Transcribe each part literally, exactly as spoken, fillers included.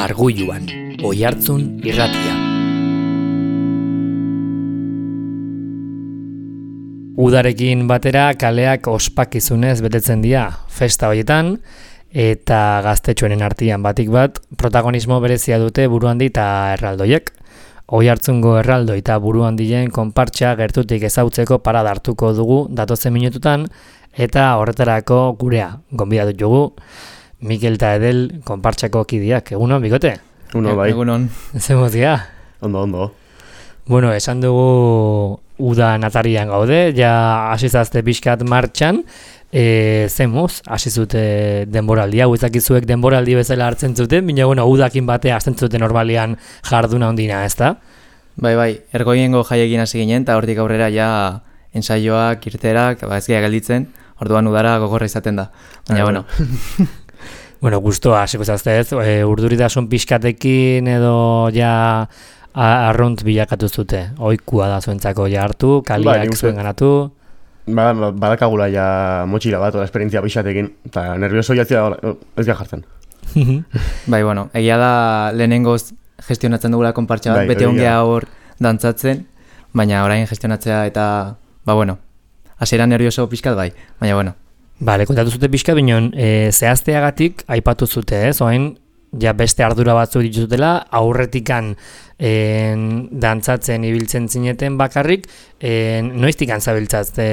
Argulluan, Oihartzun irratia. Udarekin batera kaleak ospakizunez betetzen dira festa horietan, eta gaztetxoenen artean batik bat protagonismo berezia dute buruhandi eta erraldoiek. Oihartzungo erraldoi eta buruhandien konpartsa gertutik ezautzeko parada hartuko dugu datozen minututan, eta horretarako gurea gonbidatu dugu Mikel eta Edel konpartsako kidiak. Egunon, Bikote? Uno, bai. Egunon. Zemozia? Ondo, ondo. Bueno, esan dugu uda natarian gaude, ja hasizazte pixkat martxan, e, zemuz, hasizute denboraldia, huizakizuek denboraldi bezala hartzen zuten, bina bueno, udakin batea hartzen zuten normalian jarduna ondina, ez da? Bai, bai, ergoiengo jaiekin hasi ginen, eta hortik aurrera ja ensaioak, irterak, ba, ez gira gelditzen, orduan udara gogorra izaten da. Baina, bueno. Bueno, gustoa, hasiko zazte ez, e, urduritasun pixkatekin edo ja arrunt bilakatu zute, oikua da zuentzako ja hartu, kaliak ba, zuen ganatu. Ba, badakagula ja motxila bat, ola esperientzia pixatekin, eta nervioso jatzia ez gara jartzen. Bai, bueno, egia da lehenengoz gestionatzen dugula konpartsa bat, bai, bete ongea hor dantzatzen, baina orain gestionatzea eta, ba, bueno, hasieran nervioso pixkat bai, baina, bueno. Bale, kontatu zute pixka binon, e, zehazteagatik aipatu zute, ez? Oain, ja beste ardura batzuk dituzutela, aurretikan en, dantzatzen ibiltzen zineten bakarrik, en, noiztikan zabiltzazte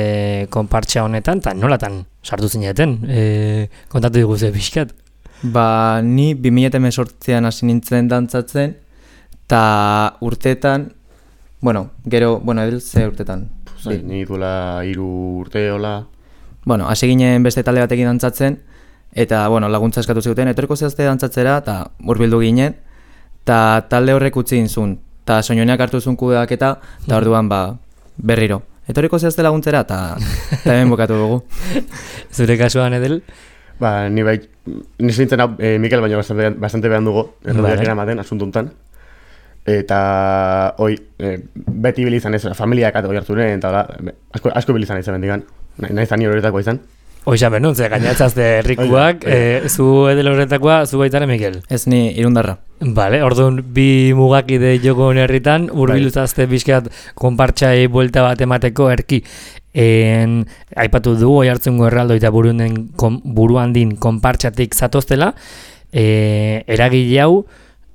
konpartsa honetan, eta nolatan sartu zineten? E, kontatu diguze pixkat? Ba, ni bi mila hemezortzian hasi nintzen dantzatzen, eta urteetan, bueno, gero, bueno, edel ze urtetan? Zai, ni duela hiru urte, hola... Bueno, hasi ginen beste talde batekin dantzatzen, eta bueno, laguntza eskatu zuten, etorriko zehazte dantzatzera, eta hurbildu ginen, eta talde horrek utzi inzun, eta soinuenak hartu zuen kudeaketa, eta orduan ba, berriro. Etorriko zehazte laguntzera, eta hemen bukatu dugu. Zure kasuan, Edel? Ba, ni bai, nizu nintzen hau, e, Mikel, baina bastante, bastante behan dugu, erradiak eramaten, asuntuntan. Eta, hoi, e, beti bilizan ez, familiak ato harturen, eta hola, asko, asko bilizan ez bendigan. Nahi zan horretako izan? Oizan benun, ze gainatzazte herrikuak, e, zu Edel horretakoa, zu baitare Mikel? Ez ni irundarra. Bale, orduan bi mugakide joko herritan, urbiluzazte bizkat konpartxai buelta bat emateko erki. En, aipatu du, Oihartzungo erraldoi eta buruhandin konpartxatik zatoztela, e, eragile hau,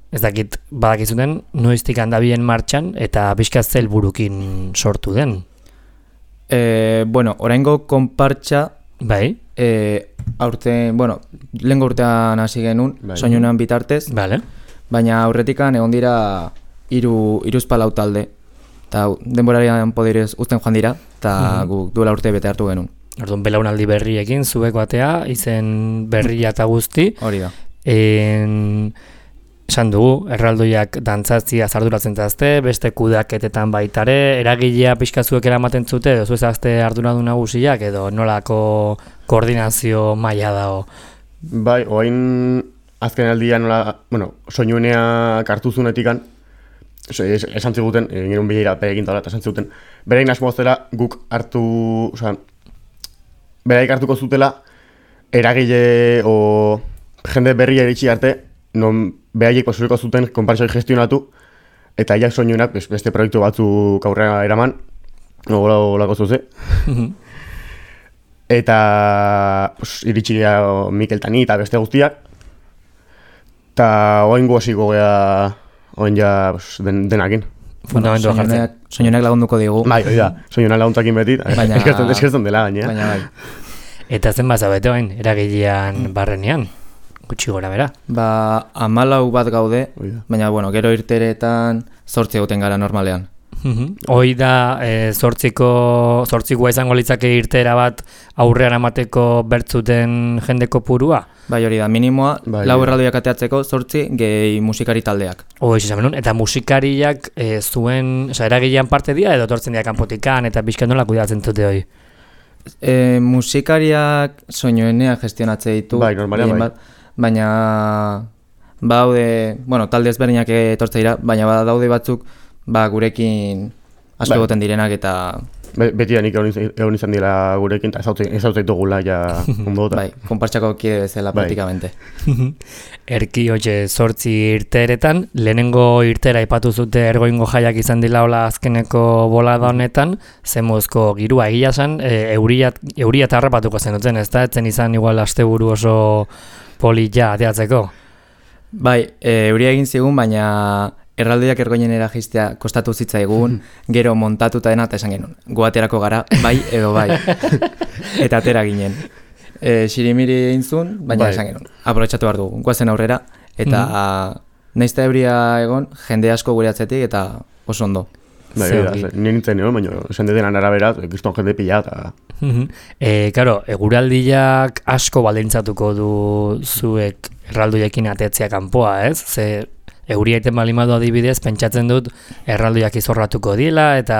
ez dakit badakizuten, noiztik handabien martxan eta bizkat zel burukin sortu den. E, bueno, oraingo konpartsa bai. E, aurten, bueno, lehengo urtean hasi genuen, bai. Soinuenan bitartez, vale. Baina aurretikan egon dira hiru hiruzpalau talde, eta denborarian poderez uzten joan dira, eta mm-hmm. guk duela urte bete hartu genuen. Orduan belaunaldi berriekin, zuek batea, izen berria eta guzti. Hori da. En... Esan dugu, erraldoiak dantzatzia zarduratzen zazte, beste kudeaketetan baitare, eragilea pixkazuek eramaten zute, edo zu ezazte arduradu nagusiak, edo nolako koordinazio maila dago? Bai, oain azken aldian nola, bueno, soinueneak hartu zunetikan, esan ziguten, egin un bilera perekin tala, eta esan ziguten, berein asmoa zela guk hartu, oza, beraik hartuko zutela, eragile o jende berria iritsi arte, non behaiek posuriko zuten konpartsoi gestionatu, eta aiak soinuenak beste proiektu batzuk aurrera eraman, olako zuze. Eta pues, iritsi gara Mikel Tani eta beste guztiak, eta oain guaziko gara oain ja pues, den, denakin. Fundamentua jartzen. Soinuenak lagunduko digu. Bai, hori da, soinuenak laguntzakin beti, baina... eskertzen dela gaina. Baina bai. Eta zen bazabete oain, eragilean barrenean? Gutxi gora bera. Ba, hamalau bat gaude, baina, bueno, gero irteretan zortzi egoten gara normalean. Hoi da, e, zortziko, zortzikoa izango litzake irtera bat aurrean amateko bertzuten jendeko purua? Bai, hori da, minimoa, bai, lau erraldoiak ateatzeko zortzi gehi musikari taldeak. Hoi, izan benun, eta musikariak e, zuen, oza, eragilean parte dira edo tortzen dira kanpotikan eta bizkan nola kudeatzen dute hoi? E, musikariak soinuenea gestionatze ditu. Bai, normalean bai. Bat, baina badaude, bueno, talde ezberdinak etortze dira, baina badaude batzuk ba gurekin asko egoten direnak eta Be, beti nik egon izan dira gurekin, eta ezautzitugula ja ondo. Bai, konpartxako kide bezala Bai. praktikamente. Erki, hoxe, zortzi irteeretan, lehenengo irtera aipatu zute ergoingo jaiak izan dila hola azkeneko bolada honetan, zemuzko girua egia zen, e, euria, euria eta harrapatuko zenuten, ez da? Etzen izan igual asteburu oso polilla ateatzeko? Bai, e, euria egin zigun, baina erraldoiak ergoinenera jistea kostatu zitzaigun, gero montatuta dena eta esan genuen. Goaterako gara, bai edo bai. Eta atera ginen. E, Sirimiri egin zuen, baina bai. esan genuen. Aprobetxatu behar dugu, guazen aurrera. Eta mm. naizta euria egon, jende asko gure atzetik eta oso ondo. Bai, da, nire nintzen egon, baina esan detenan arabera, kriston jende pila eta... E, karo, eguraldiak asko baldintzatuko du zuek erraldoiekin atetzea kanpoa, ez? Ze euria iten balimadu adibidez, pentsatzen dut erraldoiak izorratuko dila, eta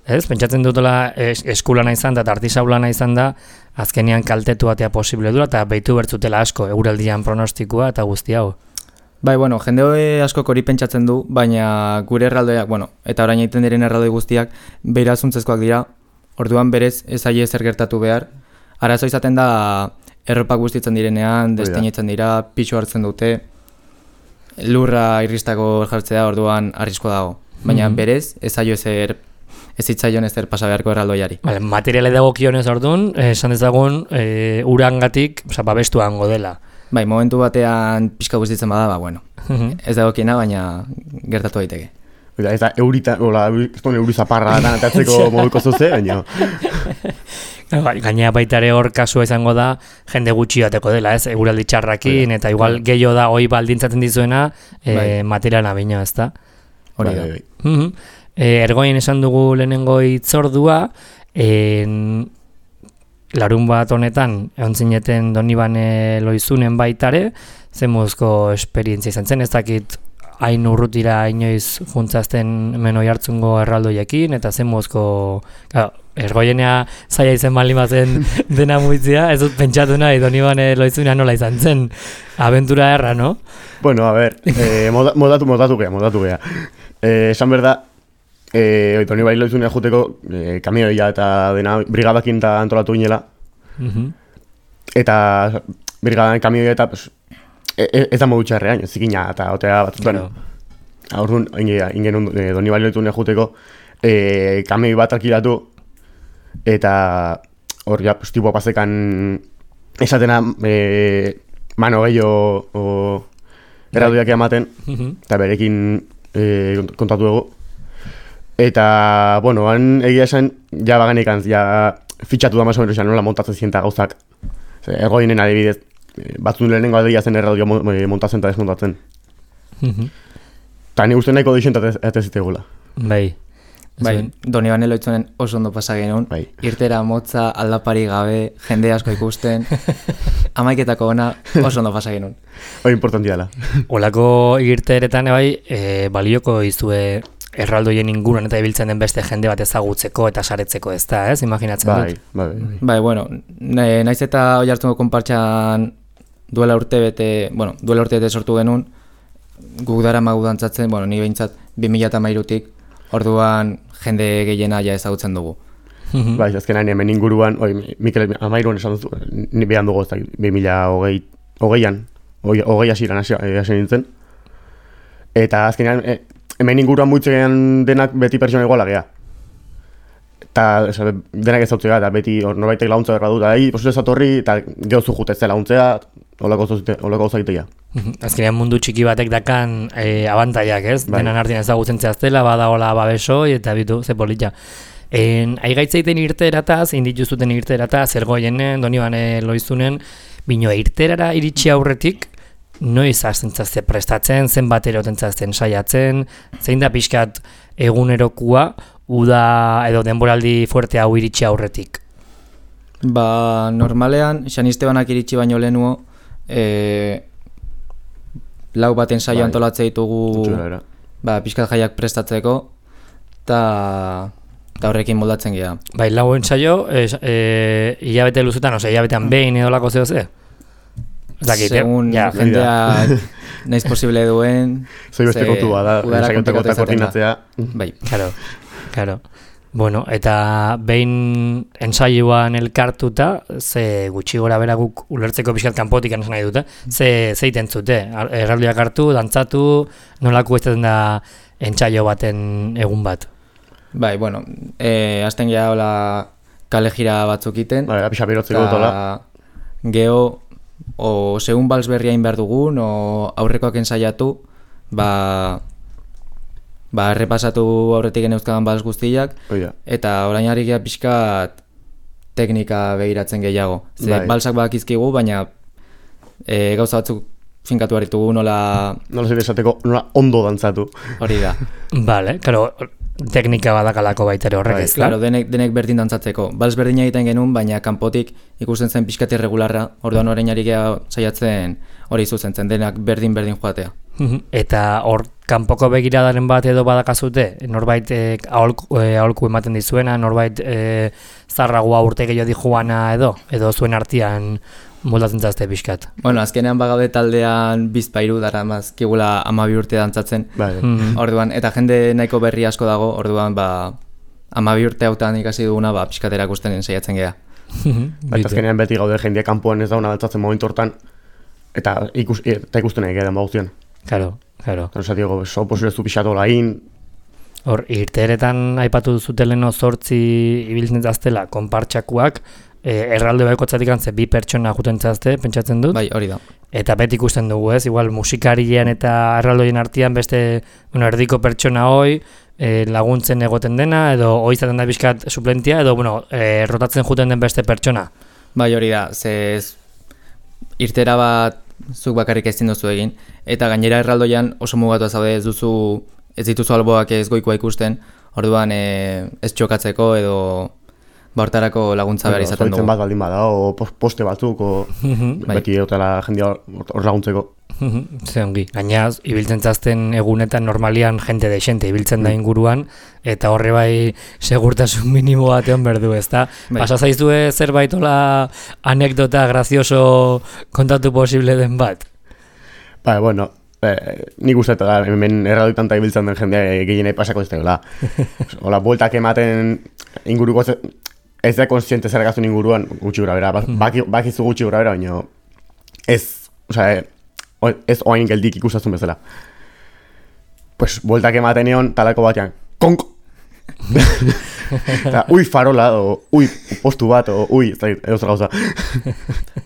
ez, pentsatzen dutela es, eskulana izan da, eta artisaulana izan da, azkenean kaltetu atea posible dura, eta behitu bertzutela asko eguraldian pronostikoa eta guzti hau. Bai, bueno, jende asko hori pentsatzen du, baina gure erraldoiak, bueno, eta orain egiten diren erraldoi guztiak beirazuntzezkoak dira, orduan berez ez aie zer gertatu behar. Arazo izaten da erropak guztitzen direnean, desteinetzen dira, pixu hartzen dute, lurra irristako jartzea orduan arrisko dago. Baina mm-hmm. berez ez aio ezer, ez hitzaion ezer pasa beharko erraldoiari. Vale, materiale dagokionez orduan, esan dezagun e, urangatik, oza, babestuan godela. Bai, momentu batean pixka guztitzen bada, ba, bueno, ez dagokiena, baina gertatu daiteke. Eta ez da eurita, hola, euri zaparra datan atatzeko moduko zuze, baina... Gainea baita ere hor kasua izango da jende gutxi bateko dela, ez? Eguraldi txarrakin, eta igual gehiago da hoi baldintzatzen dizuena e, materiala bina, ez da? Hori da. Uh-huh. E, ergoien esan dugu lehenengo hitzordua, en, larun bat honetan, egon zineten Donibane Loizunen baitare, zemuzko esperientzia izan zen, ez dakit hain urrutira inoiz juntzazten menoi hartzungo erraldoiekin, eta zemuzko... Ergoienea zaila izen balimazen dena muitzia, ez dut pentsatu nahi Donibane Loizunea nola izan zen. Aventura erra, no? Bueno, a ver, eh, moda, modatu, modatu gea, modatu gea. Eh, esan berda, eh, Donibane Loizunea juteko eh, kamioia eta dena brigadakin eta antolatu ginela. Uh-huh. Eta brigadan kamioia eta pues, e, ez da modu txarrean, zikina eta otea bat. Claro. Bueno, aurrun, ingen eh, Donibane Loizunea juteko eh, kamioi bat alkilatu, eta hor ja, pues, tipo pasekan esatena e, mano gehiago erraldoiak ematen, eta berekin e, kontatu dugu. Eta, bueno, han egia esan, ja baganekan, ja fitxatu da maso menos, nola montatzen zienta gauzak. Ergoinen adibidez, batzun lehenengo adia zen erraldoia montatzen eta desmontatzen. Eta ni uste nahiko deixentat ez zitegula. Bai. Bai, Donibane Loitzunen oso ondo pasa genuen, bai. Irtera motza, aldapari gabe, jende asko ikusten, amaiketako ona oso ondo pasa genuen. Hori importantia dela. Olako irteretan bai, e, balioko izue erraldoien inguruan eta ibiltzen den beste jende bat ezagutzeko eta saretzeko, ez da, ez? Imaginatzen bai, dut. Bai, bai. Bai, bueno, naiz eta hoi hartzungo konpartxan duela urte bete, bueno, duela urte bete sortu genuen, guk dara magu dantzatzen, bueno, ni behintzat bi mila hamairutik, orduan jende gehiena ja ezagutzen dugu. Bai, azkenan hemen inguruan, oi, Mikel Amairuan esan duzu, ni behan dugu ez da, bi mila hogeian, hogei asiran hasi nintzen. Eta azkenan, e, hemen inguruan muitzean denak beti pertsona iguala geha. Eta denak ez zautzea, eta beti hor norbaitek launtza berra dut, eta posuz ez atorri, eta gehozu jutezte launtzea, holako zaitea. Azkenean mundu txiki batek dakan e, abantaiak, ez? Bai. Denan artean ezagutzen zehaztela, badagoela babesoi, eta bitu, ze polita. Aigaitzeiten irterataz, indituzuten irterataz, ergoienen, Donibane Loizunen, bino irterara iritsi aurretik, noiz hasten zazte prestatzen, zenbat eroten zazten saiatzen, zein da pixkat egunerokua, uda edo denboraldi fuerte hau iritsi aurretik? Ba, normalean, Xanistebanak iritsi baino lehenuo, e, lau baten saio bai. Antolatze ditugu ba, pixkat jaiak prestatzeko, eta horrekin moldatzen gira. Bai, lau ensaio, e, e, hilabete luzutan, ose, hilabetean behin edolako zeo ze? Segun ja, jendeak nahiz posible duen. Zoi beste kontua da, ensaionteko eta koordinatzea. Bai. Claro, claro. Bueno, eta behin ensaioan elkartuta, ze gutxi gora bera guk ulertzeko pixkat kanpotik esan nahi dute, ze zeiten zute, erraldoiak hartu, dantzatu, nolako ez da entsaio baten egun bat? Bai, bueno, e, azten geha hola kale jira batzuk iten. Bai, apixa berotzeko dutola. Geho, o segun bals berriain behar dugun, o aurrekoak ensaiatu, ba... Ba, errepasatu aurretik geneuzkadan bals guztiak, Oida. eta orain harrikia pixkat teknika begiratzen gehiago. Ze Bai. balsak bakizkigu, baina e, gauza batzuk finkatu harritugu nola... Nola zer esateko, nola ondo dantzatu. Hori da. Bale, claro, teknika badakalako baita ere horrek Bai, ez da? Claro, denek, denek berdin dantzatzeko. Bals berdina egiten genuen, baina kanpotik ikusten zen pixkat irregularra, orduan orain harrikia saiatzen hori zuzentzen, denak berdin-berdin joatea. Eta hor kanpoko begiradaren bat edo badakazute, norbait e, aholku, e, aholku ematen dizuena, norbait e, zarragoa urte gehiago dijuana edo, edo zuen artean moldatzen zazte pixkat. Bueno, azkenean bagaude taldean bizpairu dara mazkigula amabi urte dantzatzen, Bai. orduan, eta jende nahiko berri asko dago, orduan, ba, amabi urte hautan ikasi duguna, ba, pixkatera ikusten saiatzen geha. Baita azkenean beti gaude jendea kanpoan ez dauna dantzatzen momentu hortan, eta, ikus, eta ikusten nahi gedan baguztian. Claro, claro. Eta osa digo, so posible zu pixatu lain. Hor, irteeretan aipatu zuteleno zortzi ibiltzen zaztela konpartxakuak, e, erralde baikotzatik antze bi pertsona juten zazte, pentsatzen dut. Bai, hori da. Eta beti ikusten dugu, ez? Igual musikarien eta erraldoien artean beste, bueno, erdiko pertsona hoi, e, laguntzen egoten dena, edo hoi izaten da bizkat suplentia, edo, bueno, e, rotatzen juten den beste pertsona. Bai, hori da, ze ez- irtera bat zuk bakarrik ezin duzu egin, eta gainera erraldoian oso mugatua zaude, ez duzu, ez dituzu alboak ez goikoa ikusten, orduan e, ez txokatzeko edo bortarako laguntza behar izaten Zoitzen dugu. bat baldin bada, o pos- poste batzuk, o Bai. beti eutela jendea hor hor laguntzeko. Ze ongi. Gaina, ibiltzen zazten egunetan normalian jente de ibiltzen da inguruan, eta horre bai segurtasun minimo batean berdu, ezta? Bai. Pasa zaizue zerbait hola anekdota grazioso kontatu posible den bat? Ba, bueno, eh, nik uste eta hemen erradoitan eta ibiltzen den jendea gehienei pasako ez dela. Hola, bueltak ematen inguruko ez, ez da konsiente zer gaztun inguruan gutxi gura bera, baki, bakizu gutxi gura bera, baina ez, osea, eh, ez oain geldik ikustazun bezala. Pues, bueltak ematen egon talako batean, konk! Eta, ui farola, o ui postu bat, o ui, ez da, edo zer gauza.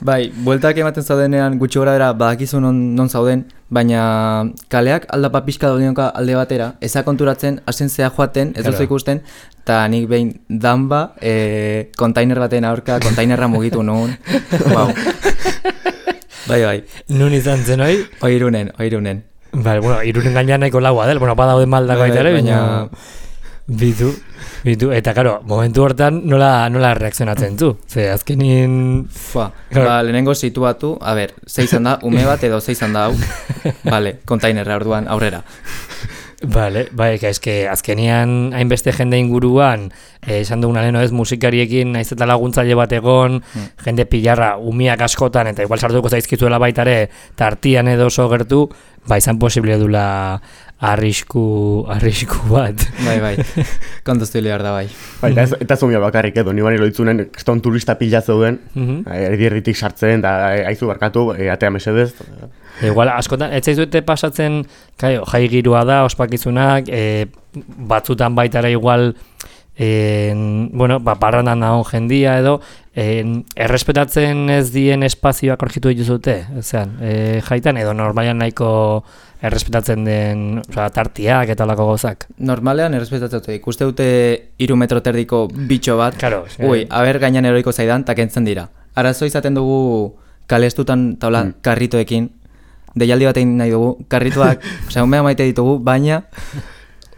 Bai, bueltak ematen zaudenean gutxi gora bera badakizu non, non zauden, baina kaleak aldapa pixka daudenoka alde batera, eza konturatzen, hasen zea joaten, ez duzu Claro. ikusten, eta nik behin danba, e, kontainer baten aurka, kontainerra mugitu nuen. Wow. Bai, bai, Nun izan zen hoi? oirunen, oirunen. Bale, bueno, irunen gainean nahiko laua del, bueno, badaude maldak Bai, baita ere, baina- baina... Bitu, bitu, eta karo, momentu hortan nola, nola reakzionatzen zu? Ze, azkenin... Fua, Claro. ba, lehenengo situatu, a ber, ze izan da, ume bat edo ze izan da hau, vale, kontainerra orduan aurrera. Bale, bai, eske azkenian hainbeste jende inguruan, eh, esan duguna leheno ez, musikariekin naiz eta laguntzaile bat egon, jende pilarra umiak askotan, eta igual sartuko zaizkizuela baitare, tartian edo oso gertu, ba izan posible dula arrisku, arrisku bat. Bai, bai, kontuztu behar da bai. Ba, eta ez, eta zumia bakarrik edo, ni bani loitzunen, kriston turista pila zeuden, Mhm. erdi erditik sartzen, da aizu barkatu, e, atea mesedez. Igual, askotan, ez zaizuete pasatzen, kaio, jai girua da, ospakizunak, e, batzutan baitara igual, e, bueno, ba, parrandan dagoen jendia edo, e, errespetatzen ez dien espazioak orkitu dituzute, ezean, e, jaitan, edo normalian nahiko errespetatzen den, osea, tartiak eta olako gozak. Normalean errespetatzen dute, ikuste dute hiru metro terdiko bitxo bat, Claro, sí. ui, aber gainan eroiko zaidan, ta kentzen dira. Arazo izaten dugu kalestutan taula Mm. karritoekin, deialdi bat egin nahi dugu, karrituak, osea, umea maite ditugu, baina...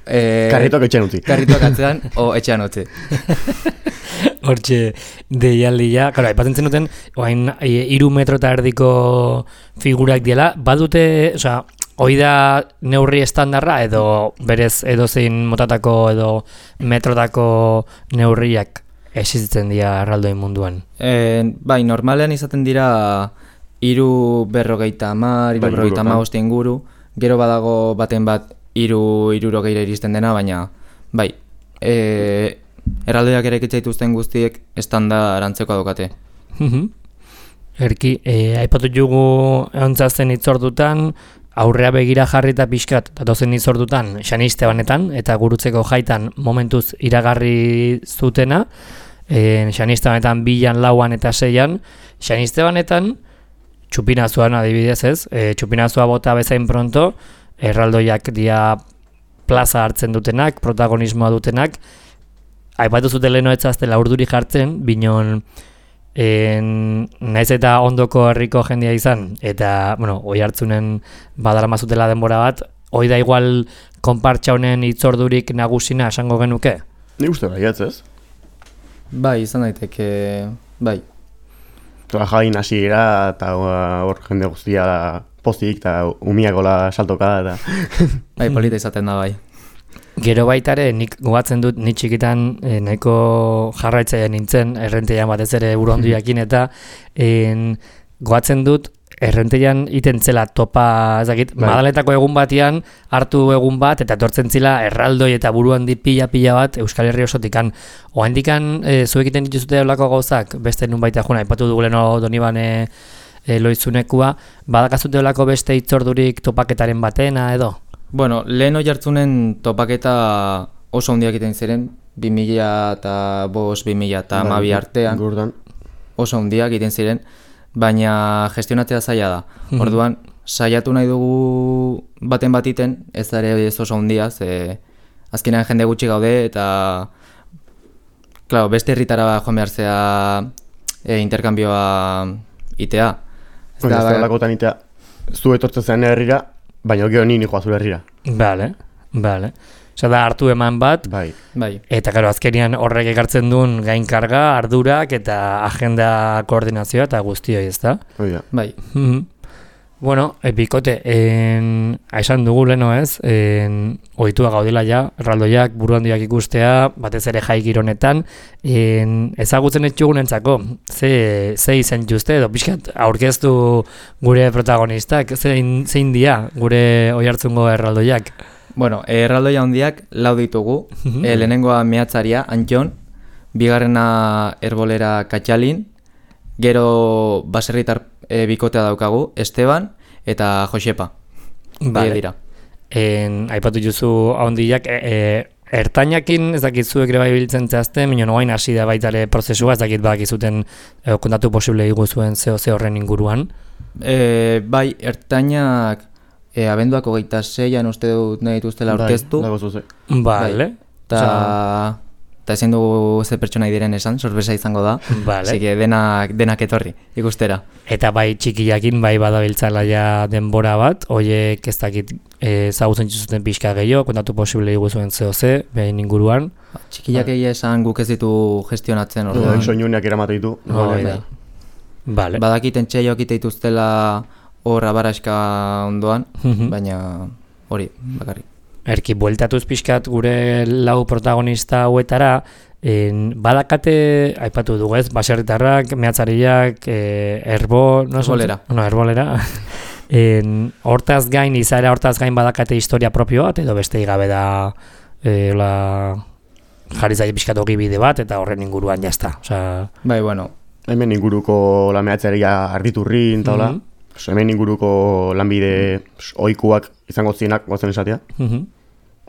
E, Karritoak etxean utzi. Karrituak atzean, o etxean utzi. Hortxe deialdia, claro, aipatzen zenuten, oain hiru metro eta erdiko figurak diela, badute, osea, hoi da neurri estandarra edo berez edozein motatako edo metrotako neurriak existitzen dira erraldoin munduan. E, bai, normalean izaten dira hiru berrogeita hamar, hiru Bai, berrogeita ingurutan. hamabost inguru, gero badago baten bat hiru hirurogeira iristen dena, baina bai, e, erraldoiak erekitza dituzten guztiek estanda arantzekoa daukate. Erki, e, aipatu jugu eontzazten itzordutan, aurrea begira jarri eta pixkat, datozen itzordutan, Xaniste banetan, eta gurutzeko jaitan momentuz iragarri zutena, e, Xaniste banetan bilan, lauan eta seian, Xaniste banetan, txupinazuan adibidez ez, e, txupinazua bota bezain pronto, erraldoiak dia plaza hartzen dutenak, protagonismoa dutenak, aipatu zute leheno etzaztela urduri jartzen, binon, En, naiz eta ondoko herriko jendia izan, eta, bueno, oi hartzunen badarama zutela denbora bat, hoi da igual konpartxa honen itzordurik nagusina esango genuke? Ni uste baiatz ez? Bai, izan daiteke, bai. Tola jain hasiera eta hor jende guztia pozik eta umiakola saltoka eta... Bai, polita izaten da bai. Gero baitare, nik gogatzen dut, nik txikitan eh, nahiko jarraitzaia nintzen, errenteian batez ere buronduiakin, eta en, gogatzen dut, errenteian iten zela topa, ezakit, bai. Madaletako egun batian, hartu egun bat, eta etortzen zila erraldoi eta buruandi pila-pila bat Euskal Herri osotikan. Oaindikan, e, zuek iten dituzute olako gauzak, beste nun baita juna, ipatu duguleno Donibane e, loizunekua, badakazute olako beste itzordurik topaketaren batena edo? Bueno, lehen hori hartzunen topaketa oso handiak egiten ziren, bi mila eta bost, bi mila eta hamabi artean, Gurdan. oso handiak egiten ziren, baina gestionatzea zaila da. Orduan, saiatu nahi dugu baten batiten, ez da ere ez oso handia, ze azkenean jende gutxi gaude, eta claro, beste herritara joan behar zea e, interkambioa itea. Ez da lakotan itea, zu etortzen zen herrira, baina gero nini joa zure herrira. Bale, bale. Osa da hartu eman bat, Bai. Bai. eta karo, azkenian horrek ekartzen duen gainkarga, ardurak eta agenda koordinazioa eta guztioi, ez da? Hoi da. Bai. Mm-hmm. Bueno, e, bikote, en, esan dugu leno ez, en, ohitua gaudela ja, erraldoiak, buruhandiak ikustea, batez ere jai gironetan, en, ezagutzen etxugunentzako, ze, ze izen juste edo, pixkat, aurkeztu gure protagonistak, zein, zein dia gure oihartzungo erraldoiak? Bueno, erraldoia handiak lau ditugu, e, lehenengoa mehatzaria, Antxon, bigarrena herbolera Katxalin, gero baserritar e, bikotea daukagu, Esteban eta Josepa. Vale. Dira. En, aipatu juzu handiak, e, e, ertainakin ez dakit zuek ere bai biltzen zehazten, minon oain hasi da baita ere prozesua, ez dakit badakizuten e, kontatu posible iguzuen zeo ze horren inguruan. E, bai, ertainak e, abenduak hogeita zeian uste dut nahi dituztela aurkeztu. Bai, dago zuze. Vale. Eta eta ezin dugu ze pertsona diren esan, sorpresa izango da. Vale. Así que denak, denak etorri, ikustera. Eta bai txikiakin bai badabiltzala ja denbora bat, hoiek ez dakit ezagutzen zuten pixka gehiago, kontatu posible iguzuen zeo ze, behin inguruan. Txikiak egia esan guk ez ditu gestionatzen orduan. Hoi soinuneak eramate ditu. Hoi da. Vale. Badakiten txeioak ite dituztela hor abaraska ondoan, baina hori, bakarrik. Erki, bueltatuz pixkat gure lau protagonista hauetara, en, badakate, aipatu dugu ez, baserritarrak, mehatzariak, e, erbo... No, erbolera. No, erbolera. en, hortaz gain, izaera hortaz gain badakate historia propio bat, edo beste igabe da e, la, jarri zaila pixkat hogi bide bat, eta horren inguruan jazta. Osea... Bai, bueno. Hemen inguruko la mehatzaria arditurrin, eta hola. Mm-hmm. Hemen inguruko lanbide ohikuak izango zienak, gozen esatea. Mm-hmm.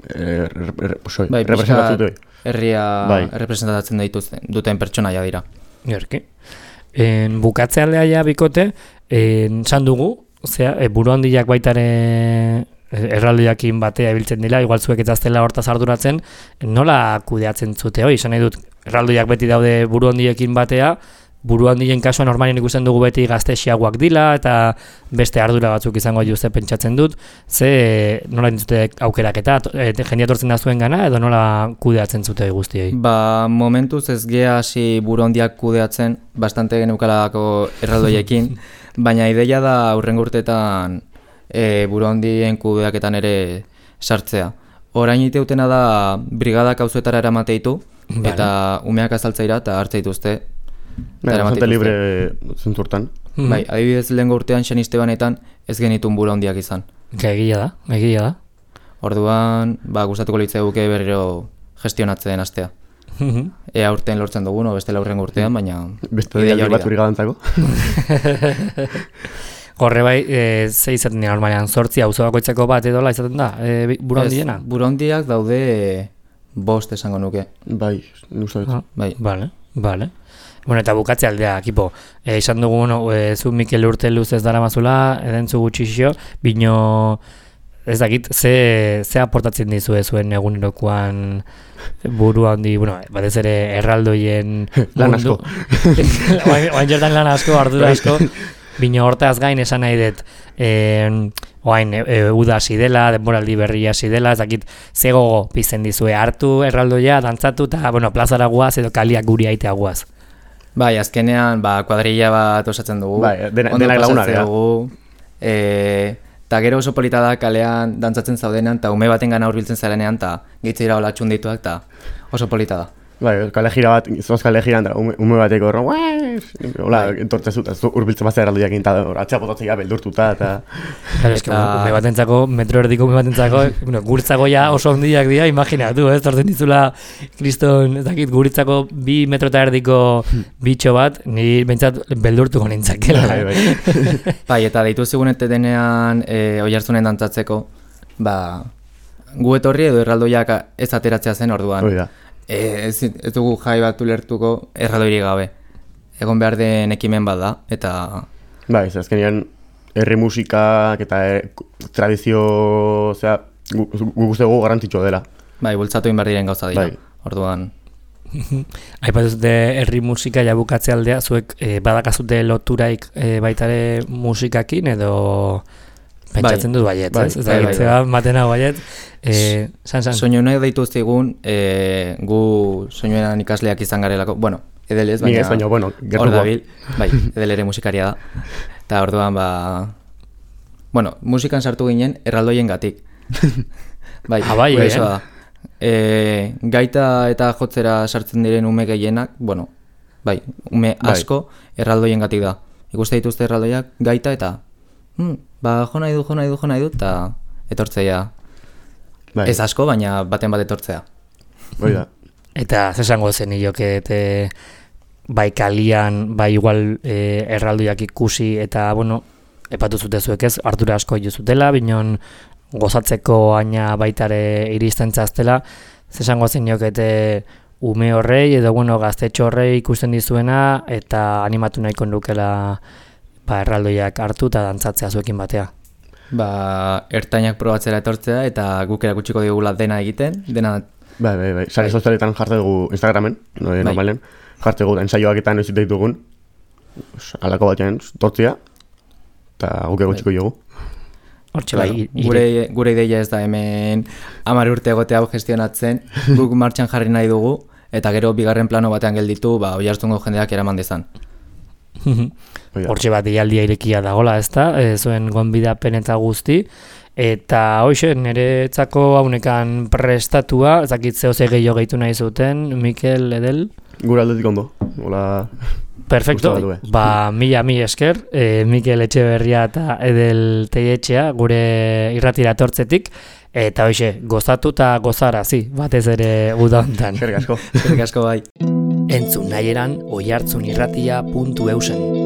Er, er, er, soi, bai, representatzen herria bai. representatzen dituzten, duten pertsonaia dira. Gerki. En, bukatzealdea ja bikote, en, san dugu, zera, e, buru handiak baitare erraldoiakin batea ibiltzen dira, igual zuek ezaztela hortaz arduratzen, nola kudeatzen zute hoi, esan nahi dut, erraldoiak beti daude buru handiekin batea, buru handien kasuan normalien ikusten dugu beti gaztexiagoak dila eta beste ardura batzuk izango juzte pentsatzen dut, ze nola dintzute aukeraketa, e, jendia tortzen da zuen gana edo nola kudeatzen zute guztiei? Ba, momentuz ez gea hasi buru handiak kudeatzen, bastante geneukalako erraldoiekin, baina ideia da aurrengo urteetan e, buru handien kudeaketan ere sartzea. Orain iteutena da brigadak auzoetara eramateitu, vale. Eta umeak azaltzaira eta hartze dituzte. Bai, bastante libre zenturtan. Mm-hmm. Bai, adibidez lehengo urtean Xaniste banetan ez genitun buru handiak izan. Egia da, egia da. Orduan, ba, gustatuko litzaiguke berriro gestionatzen hastea. ea urtean lortzen dugun, o beste laurren urtean, baina... Beste ideia bat uri gadantzako. Horre bai, e, ze izaten dira normalean, sortzi auzo bakoitzako bat edola izaten da, e, buruhandiena? Buruhandiak daude e, bost esango nuke. Bai, nusta dut. Ah, bai. Vale, vale. Bueno, eta bukatze aldea, ekipo. E, izan dugu, no, e, zu Mikel urte luz ez dara mazula, edentzu gutxixio, bino, ez dakit, ze, ze aportatzen dizue zuen egunerokoan buru handi, bueno, batez ere erraldoien lan asko. Oain jertan lan asko, ardura asko, bino hortaz gain esan nahi dut, e, oain e, e, uda hasi dela, denboraldi berria hasi dela, ez dakit, ze gogo pizten dizue, hartu erraldoia, dantzatu, eta, bueno, plazara guaz edo kaliak guri aitea guaz. Bai, azkenean, ba, kuadrilla bat osatzen dugu. Bai, dena, denak lagunak, dugu. E, ta gero oso polita da kalean dantzatzen zaudenean, eta ume baten gana hurbiltzen zarenean, eta gitzira hola txundituak, eta oso polita da. Bai, kale gira bat, zoaz kale gira, ume, ume bateko horro, hola, entortzezu, eta urbiltzen bazea erraldoiak eta atxea potatzea beldurtuta, eta... Claro, eske, ume batentzako, metro erdiko ume batentzako, bueno, guritzako ja oso ondiak dira, imaginatu, ez, torten dizula, kriston, ez dakit, guritzako bi metro eta erdiko bitxo bat, ni bentsat beldurtuko nintzakela. Bai, bai. Bai, eta deitu zigunete denean, e, oihartzunen dantzatzeko, ba, gu etorri edo erraldoiak ez ateratzea zen orduan. Hoi da. E, ez, ez dugu jai bat ulertuko erraldoirik gabe. Egon behar den ekimen bat da, eta... Bai, ez azkenean herri musikak eta e, tradizio, osea, gu guztego garrantzitsua dela. Bai, bultzatu behar diren gauza dira, bai. Orduan... Aipatu zute herri musika jabukatze aldea, zuek e, badakazute loturaik e, baitare musikakin edo... Pentsatzen dut baiet, bai, ez? Ez bai, da, bai, bai, matena baiet. E, san, san. Soinuenak deitu zigun, e, gu soinuenan ikasleak izan garelako, bueno, edelez, baina... Ni ez, baina, bueno, gertuko. Hor dabil, bai, edel ere musikaria da. Eta orduan, ba... Bueno, musikan sartu ginen erraldoien gatik. Bai, ah, bai, eh? da. E, gaita eta jotzera sartzen diren ume gehienak, bueno, bai, ume asko bai. Erraldoien gatik da. Ikuste dituzte erraldoiak gaita eta... Hmm, ba, jo nahi du, jo nahi du, jo nahi du, eta etortzea. Bai. Ez asko, baina baten bat etortzea. Hoi da. Eta zesango zen nioke, eta bai kalian, bai igual e, erraldoiak ikusi, eta, bueno, epatu zute zuek ez, ardura asko juzutela, binon gozatzeko aina baitare iristen txaztela, zesango zen nioke, eta ume horrei, edo, bueno, gaztetxo horrei ikusten dizuena, eta animatu nahiko nukela ba, erraldoiak hartu eta dantzatzea zuekin batea. Ba, ertainak probatzera etortzea eta guk erakutsiko digula dena egiten, dena... Bai, bai, bai, sare sozialetan jarte dugu Instagramen, no, bai. Normalen, jarte dugu ensaioak eta noiz ditugun, alako batean tortzia, eta guk erakutsiko dugu. Hortxe bai, gure, gure ideia ez da hemen hamar urte egote hau gestionatzen, guk martxan jarri nahi dugu, eta gero bigarren plano batean gelditu, ba, Oiartzungo jendeak eraman dezan. Hortxe bat ialdia irekia dagola, ez da, e, zuen gonbidapen eta guzti, eta hoxe, niretzako haunekan prestatua, ez dakit zeo ze gehiago gehitu nahi zuten, Mikel, Edel? Gure aldetik ondo, hola... Perfecto, ba, mila mi esker, e, Mikel Etxeberria eta Edel Teietxea, gure irratira tortzetik, eta hoxe, gozatu eta gozarazi, batez ere uda hontan. Eskerrik asko. Eskerrik asko bai. Entzun nahi eran oihartzunirratia puntu eusen.